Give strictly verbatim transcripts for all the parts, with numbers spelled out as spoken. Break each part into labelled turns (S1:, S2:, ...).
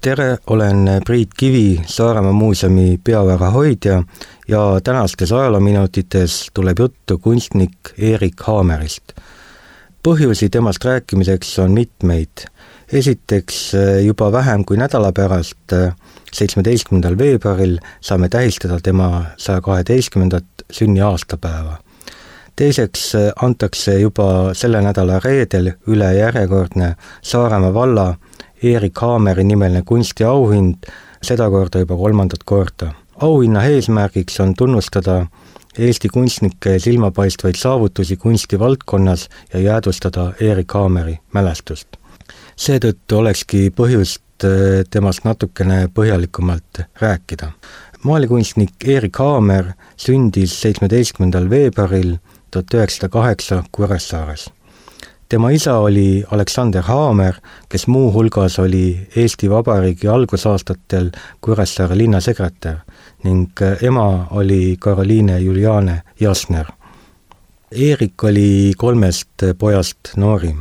S1: tere, olen Priit Kivi, Saaremaa muuseumi peaväära hoidja ja tänastes ajaloominutites tuleb juttu kunstnik Erik Haamerist. Põhjusi temast rääkimiseks on mitmeid. Esiteks juba vähem kui nädala pärast, seitsmeteistkümnendal veebruaril saame tähistada tema saja kaheteistkümnendat sünniaastapäeva. Teiseks antakse juba selle nädala reedel üle järjekordne Saaremaa valla Erik Haameri nimeline kunstiauhind, seda korda juba kolmandat korda. Auhinna eesmärgiks on tunnustada Eesti kunstnike silmapaistvaid saavutusi kunstivaldkonnas ja jäädvustada Erik Haameri mälestust. Seetõttu olekski põhjust temast natukene põhjalikumalt rääkida. Maalikunstnik Erik Haamer sündis seitsmeteistkümnendal veebruaril tuhat üheksasada kaheksa Kuressaares. Tema isa oli Aleksander Haamer, kes muu hulgas oli Eesti Vabariigi algusaastatel Kuressaare linnasekretär ning ema oli Karoliine Juliane Jasner. Erik oli kolmest pojast noorim.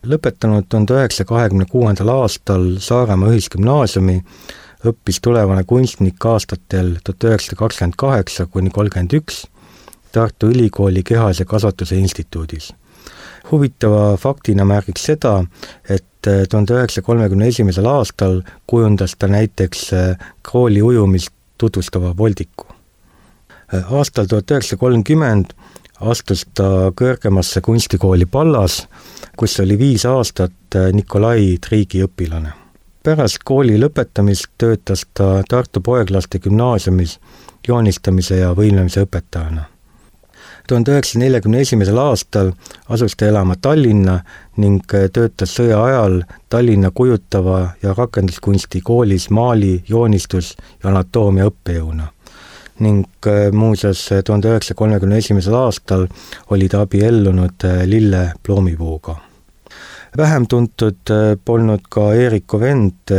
S1: Lõpetanud tuhande üheksasaja kahekümne kuuendal aastal Saaremaa ühisgümnaasiumi, õppis tulevane kunstnik aastatel tuhat üheksasada kakskümmend kaheksa kuni kolmkümmend üks Tartu Ülikooli kehase kasvatuse instituudis. Huvitava faktina märgiks seda, et tuhande üheksasaja kolmekümne esimesel aastal kujundas ta näiteks krooli ujumist tutvustava voldiku. Aastal tuhat üheksasada kolmkümmend astus ta kõrgemasse kunstikooli Pallas, kus oli viis aastat Nikolai Triigi õpilane. Pärast kooli lõpetamist töötas ta Tartu Poeglaste gümnaasiumis joonistamise ja võimlemise õpetajana. tuhande üheksasaja neljakümne esimesel aastal asus ta elama Tallinna ning töötas sõja ajal Tallinna kujutava ja rakenduskunsti koolis maali, joonistus ja anatoomia õppejõuna. Ning muuseas tuhande üheksasaja kolmekümne esimesel aastal oli ta abiellunud Lille Ploomipuuga. Vähem tuntud polnud ka Eeriku vend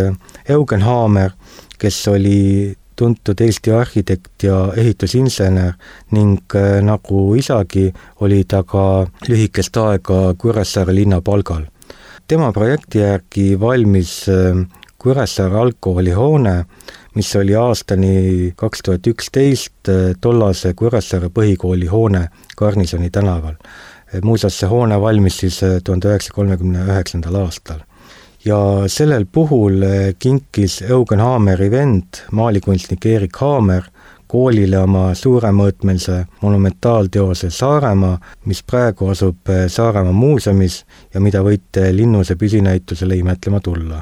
S1: Eugen Haamer, kes oli tuntud Eesti arhitekt ja ehitusinsener ning nagu isagi oli ta ka lühikest aega Kuressaare linna palgal. Tema projekti järgi valmis Kuressaare algkooli hoone, mis oli aastani kaks tuhat üksteist tollase Kuressaare põhikooli hoone Garnisoni tänaval. Muuseas see hoone valmis siis tuhande üheksasaja kolmekümne üheksandal aastal. Ja sellel puhul kinkis Eugen Haameri vend, maalikunstnik Erik Haamer, koolile oma suuremõõtmelise monumentaalteose Saaremaa, mis praegu asub Saaremaa muuseumis ja mida võite Linnuse püsinäitusele imetlema tulla.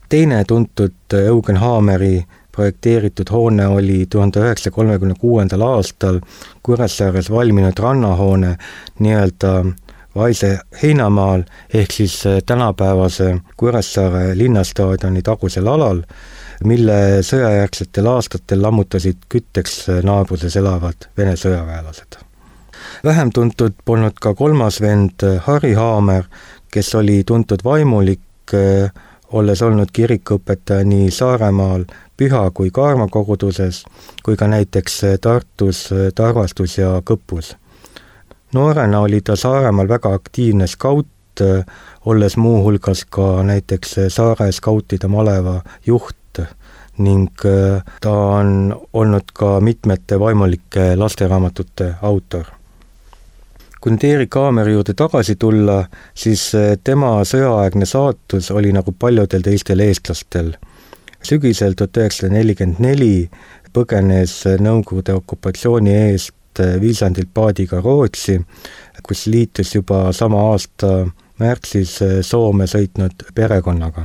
S1: Teine tuntud Eugen Haameri projekteeritud hoone oli tuhande üheksasaja kolmekümne kuuendal aastal Kuressaares valminud rannahoone nii-öelda Vaise heinamaal ehk siis tänapäevase Kuressaare linnastaadioni tagusel alal, mille sõjajärgsetel aastatel lammutasid kütteks naabruses elavad Vene sõjaväelased. Vähem tuntud polnud ka kolmas vend Harri Haamer, kes oli tuntud vaimulik, olles olnud kirikuõpetaja nii Saaremaal, Püha kui Kaarma koguduses, kui ka näiteks Tartus, Tarvastus ja Kõpus. Noorena oli ta Saaremaal väga aktiivne skaut, olles muu hulgas ka näiteks Saare skautide maleva juht ning ta on olnud ka mitmete vaimulike lasteraamatute autor. Kui nüüd Erik Haameri juurde tagasi tulla, siis tema sõjaaegne saatus oli nagu paljudel teistel eestlastel. Sügisel tuhat üheksasada nelikümmend neli põgenes Nõukogude okupatsiooni eest Viisandilt paadiga Rootsi, kus liitus juba sama aasta märtsis Soome sõitnud perekonnaga.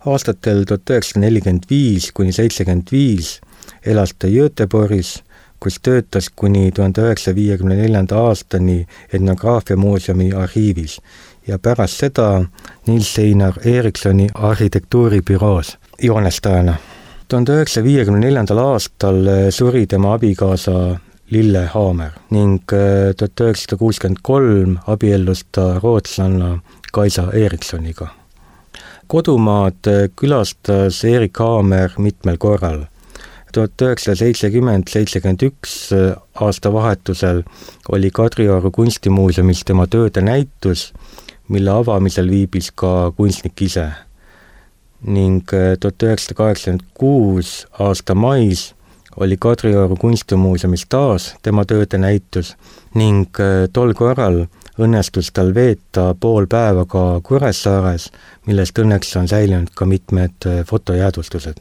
S1: Aastatel tuhat üheksasada nelikümmend viis kuni seitsekümmend viis elas ta Göteborgis, kus töötas kuni tuhande üheksasaja viiekümne neljanda aastani etnograafia muuseumi arhiivis ja pärast seda Nils Einar Erikssoni arhitektuuribüroos joonestajana. tuhande üheksasaja viiekümne neljandal aastal suri tema abikaasa Lille Haamer ning tuhat üheksasada kuuskümmend kolm abiellus ta rootslanna Kaisa Erikssoniga. Kodumaad külastas Erik Haamer mitmel korral. tuhat üheksasada seitsekümmend seitsekümmend üks aastavahetusel oli Kadrioru kunstimuuseumis tema tööde näitus, mille avamisel viibis ka kunstnik ise. ning tuhat üheksasada kaheksakümmend kuus aasta mais oli Kadrioru kunstimuuseumis taas tema tööde näitus ning tol korral õnnestus tal veeta pool päeva ka Kuressaares, millest õnneks on säilinud ka mitmed fotojäädvustused.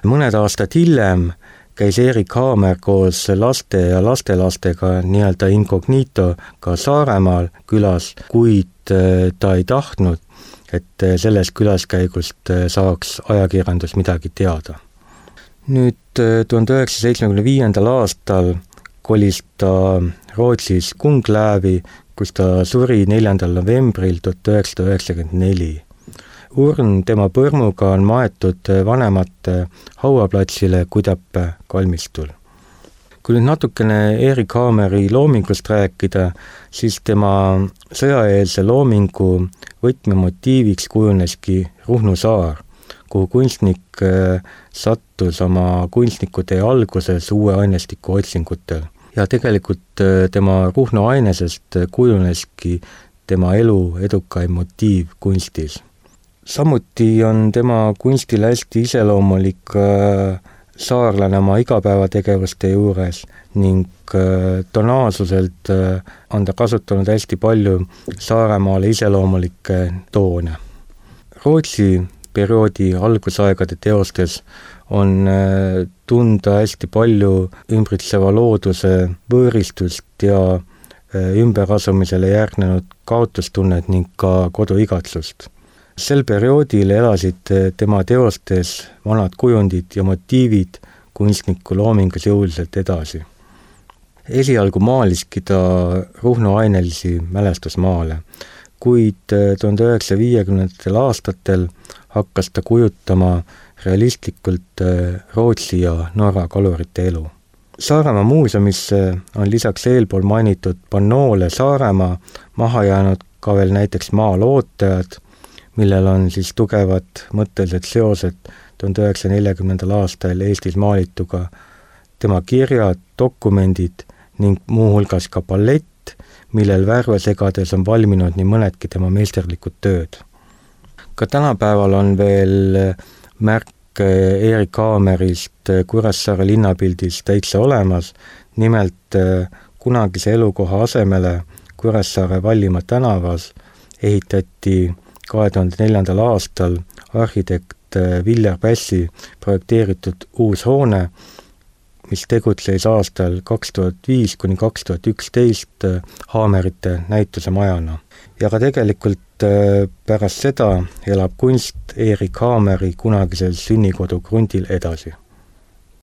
S1: Mõned aastad hiljem käis Erik Haamer koos laste ja lastelastega nii-öelda incognito ka Saaremaal külas, kuid ta ei tahtnud, et sellest külaskäigust saaks ajakirjandus midagi teada. Nüüd tuhande üheksasaja seitsmekümne viiendal aastal kolis ta Rootsis Kunglävi, kus ta suri neljandal novembril tuhat üheksasada üheksakümmend neli. Urn tema põrmuga on maetud vanemate hauaplatsile Kudappe kalmistul. Kui nüüd natukene Erik Haameri loomingust rääkida, siis tema sõjaeelse loomingu võtmemotiiviks kujuneski Ruhnu saar, kuhu kunstnik sattus oma kunstnikutee alguses uue ainestiku otsingutel. Ja tegelikult tema Ruhnu ainesest kujuneski tema elu edukaim motiiv kunstis. Samuti on tema kunstile hästi iseloomulik saarlane oma igapäevategevuste juures ning tonaalsuselt on ta kasutanud hästi palju Saaremaale iseloomulikke toone. Rootsi perioodi algusaegade teostes on tunda hästi palju ümbritseva looduse võõristust ja ümberasumisele järgnenud kaotustunnet ning ka koduigatsust. Sel perioodil elasid tema teostes vanad kujundid ja motiivid kunstniku loomingus jõuliselt edasi. Esialgu maaliski ta Ruhnu ainelisi mälestusmaale, kuid tuhande üheksasaja viiekümnendatel aastatel hakkas ta kujutama realistlikult Rootsi ja Norra kalurite elu. Saaremaa muuseumisse on lisaks eelpool mainitud pannoole Saaremaa maha jäänud ka veel näiteks maalootajad, millel on siis tugevad mõttelised seosed tuhande üheksasaja neljakümnendal aastal Eestis maalituga, tema kirjad, dokumendid ning muuhulgas ka ballett, millel värvesegades on valminud nii mõnedki tema meisterlikud tööd. Ka tänapäeval on veel märk Erik Haamerist Kuressaare linnapildis täitsa olemas, nimelt kunagise elukoha asemele Kuressaare Vallimaa tänavas ehitati kahe tuhande neljandal aastal arhitekt Viljar Pässi projekteeritud uus hoone, mis tegutses aastal kaks tuhat viis kuni kaks tuhat üksteist Haamerite näituse majana. Ja ka tegelikult pärast seda elab kunst Erik Haameri kunagisel sünnikodu krundil edasi.